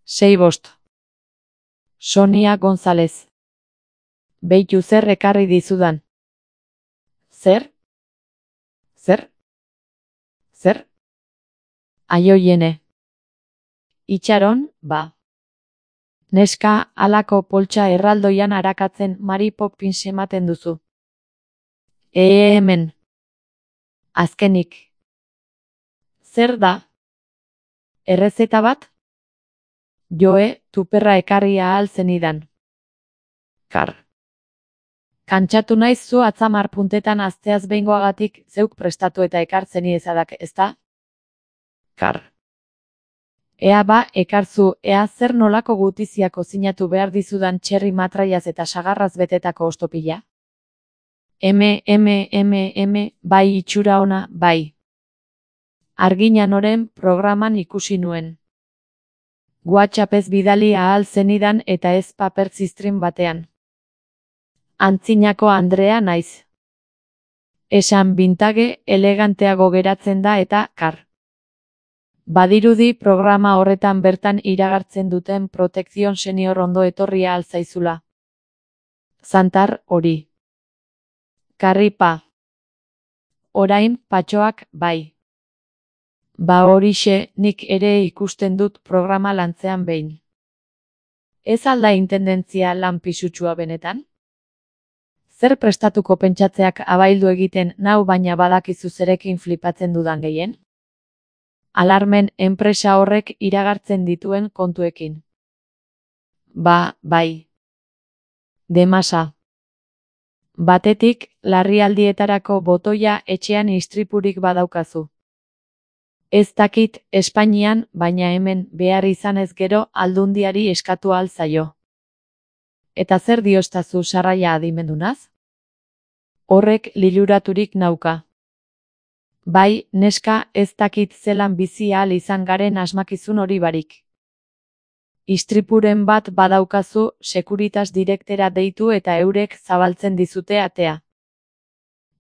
6-5. Sonia González. Beitu zer ekarri dizudan. Zer? Zer? Zer? Aioiene. Itxaron, ba. Neska, halako poltsa erraldoian arakatzen Mary Poppins ematen duzu. Hemen. Azkenik. Zer da? Errezeta bat? Joe, tuperra ekarri ahal zenidan. Kar. Kantxatu naiz zu atzamar puntetan azteaz behingoagatik zeuk prestatu eta ekartzen ezadak, ezta? Kar. Ea ba, ekarzu, ea zer nolako gutiziako zinatu behar dizudan txerri matraiaz eta sagarraz betetako ostopila? Bai itxura ona, bai. Argina noren programan ikusi nuen. WhatsAppez bidali ahal zenidan eta ez paper ziztrin batean. Antzinako Andrea naiz. Esan bintage eleganteago geratzen da eta kar. Badirudi programa horretan bertan iragartzen duten protekzion senior ondo etorria alzaizula. Zantar hori. Karripa. Orain patxoak bai. Ba horixe, nik ere ikusten dut programa lantzean behin. Ez alda intendentzia lan pisutsua benetan? Zer prestatuko pentsatzeak abaildu egiten nau baina badakizu zerekin flipatzen dudan gehien? Alarmen enpresa horrek iragartzen dituen kontuekin. Ba, bai. Demasa. Batetik, larrialdietarako botoia etxean istripurik badaukazu. Ez dakit Espainian, baina hemen behar izanez gero aldundiari eskatu ahal zaio. Eta zer diostazu sarraia adimendunaz? Horrek liluraturik nauka. Bai, neska, ez dakit zelan bizi ahal izan garen asmakizun hori barik. Istripuren bat badaukazu, Securitas Directera deitu eta eurek zabaltzen dizute atea.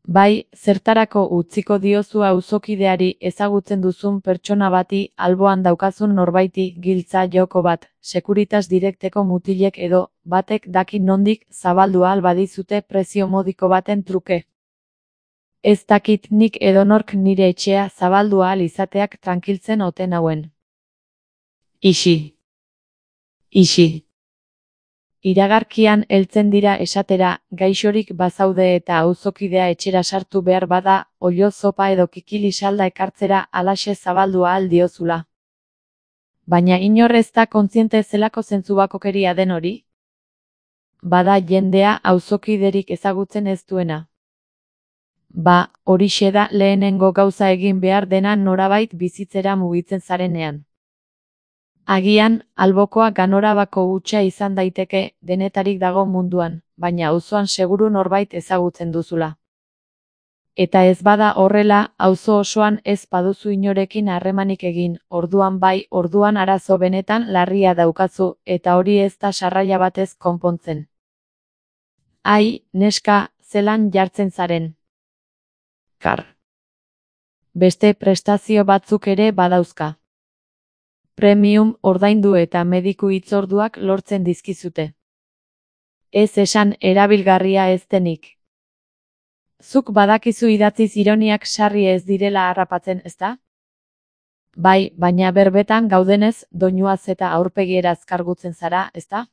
Bai, zertarako utziko diozu auzokideari ezagutzen duzun pertsona bati alboan daukazun norbaiti giltza joko bat, Securitas Directeko mutilek edo batek daki nondik zabaldu ahal badizute prezio modiko baten truke. Ez dakit nik edonork nire etxea zabaldu ahal izateak trankiltzen ote nauen. Ixi. Ixi. Iragarkian heltzen dira esatera, gaixorik bazaude eta auzokidea etxera sartu behar bada, oilo zopa edo kikili salda ekartzera halaxe zabaldu ahal diozula. Baina inor ez da kontziente zelako zentzubakokeria den hori? Bada jendea auzokiderik ezagutzen ez duena. Ba, horixe da lehenengo gauza egin behar dena norabait bizitzera mugitzen zarenean. Agian, albokoa ganorabako hutsa izan daiteke denetarik dago munduan, baina auzoan seguru norbait ezagutzen duzula. Eta ez bada horrela, auzo osoan ez baduzu inorekin harremanik egin, orduan bai, orduan arazo benetan larria daukazu, eta hori ez da sarraia batez konpontzen. Ai, neska, zelan jartzen zaren. Kar. Beste prestazio batzuk ere badauzka. Premium ordaindu eta mediku hitzorduak lortzen dizkizute. Ez esan erabilgarria ez denik. Zuk badakizu idatziz ironiak sarri ez direla harrapatzen, ezta? Bai, baina berbetan gaudenez, doinuaz eta aurpegieraz kargutzen zara, ezta?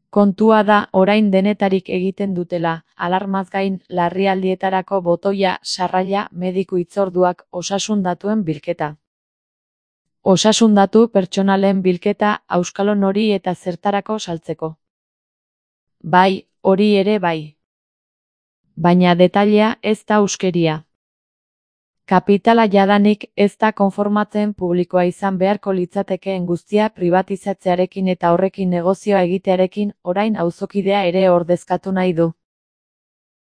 Kontua da orain denetarik egiten dutela, alarmaz gain larrialdietarako botoia, sarraila, mediku hitzorduak, osasun datuen bilketa. Osasun datu pertsonalen bilketa auskalon hori eta zertarako saltzeko. Bai, hori ere bai. Baina detailea ez da euskeria. Kapitala jadanik ez da konformatzen publikoa izan beharko litzatekeen guztia privatizatzearekin eta horrekin negozioa egitearekin orain auzokidea ere ordezkatu nahi du.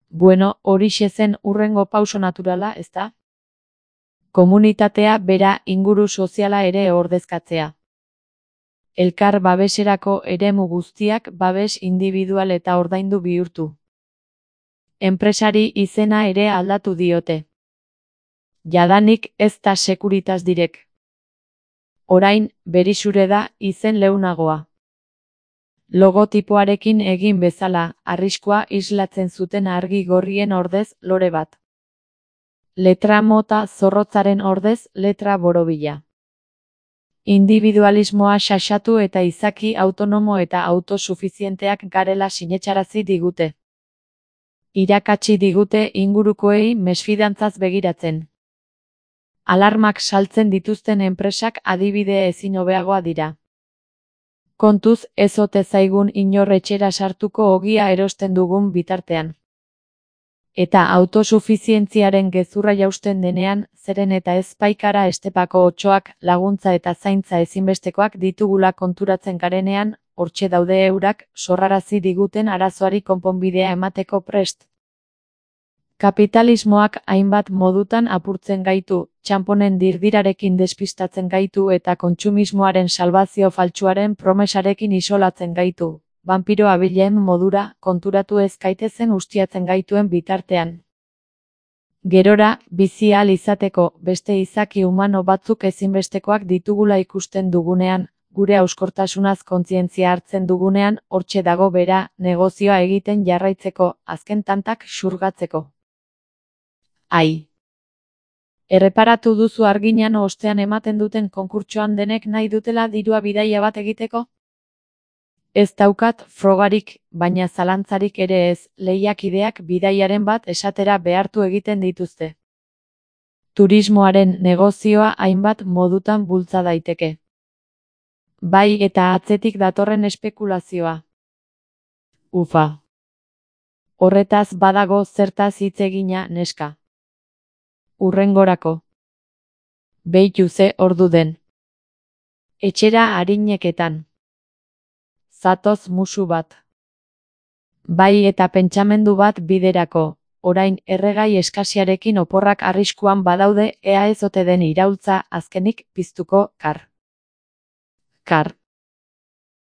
Bueno, horixe zen hurrengo pauso naturala, ezta? Komunitatea bera inguru soziala ere ordezkatzea. Elkar babeserako eremu guztiak babes individual eta ordaindu bihurtu. Enpresari izena ere aldatu diote. Jadanik ez da Securitas Direct. Orain, Berixure da izen leunagoa. Logotipoarekin egin bezala, arriskua islatzen zuten argi gorrien ordez lore bat. Letra mota zorrotzaren ordez letra borobila. Individualismoa xaxatu eta izaki autonomo eta autosufizienteak garela sinetsarazi digute. Irakatsi digute ingurukoei mesfidantzaz begiratzen. Alarmak saltzen dituzten enpresak adibide ezin hobeagoa dira. Kontuz ez ote zaigun inor etxera sartuko ogia erosten dugun bitartean. Eta autosufizientziaren gezurra jausten denean, zeren eta ez baikara estepako otsoak, laguntza eta zaintza ezinbestekoak ditugula konturatzen garenean, hortxe daude eurak, sorrarazi diguten arazoari konponbidea emateko prest. Kapitalismoak hainbat modutan apurtzen gaitu, txanponen dirdirarekin despistatzen gaitu eta kontsumismoaren salbazio faltsuaren promesarekin isolatzen gaitu. Vampiro abilen modura, konturatu ez gaitezen ustiatzen gaituen bitartean. Gerora, bizi ahal izateko, beste izaki humano batzuk ezinbestekoak ditugula ikusten dugunean, gure hauskortasunaz kontzientzia hartzen dugunean, hortxe dago bera, negozioa egiten jarraitzeko, azken tantak xurgatzeko. Ai. Erreparatu duzu arginan ostean ematen duten konkurtsoan denek nahi dutela dirua bidaia bat egiteko? Ez daukat frogarik, baina zalantzarik ere ez, lehiakideak bidaiaren bat esatera behartu egiten dituzte. Turismoaren negozioa hainbat modutan bultza daiteke. Bai eta atzetik datorren espekulazioa. Ufa. Horretaz badago zertaz hitz egina neska. Hurrengorako. Beitu ze ordu den. Etxera arineketan. Zatoz musu bat. Bai eta pentsamendu bat biderako, orain erregai eskasiarekin oporrak arriskuan badaude ea ez ote den iraultza azkenik piztuko kar.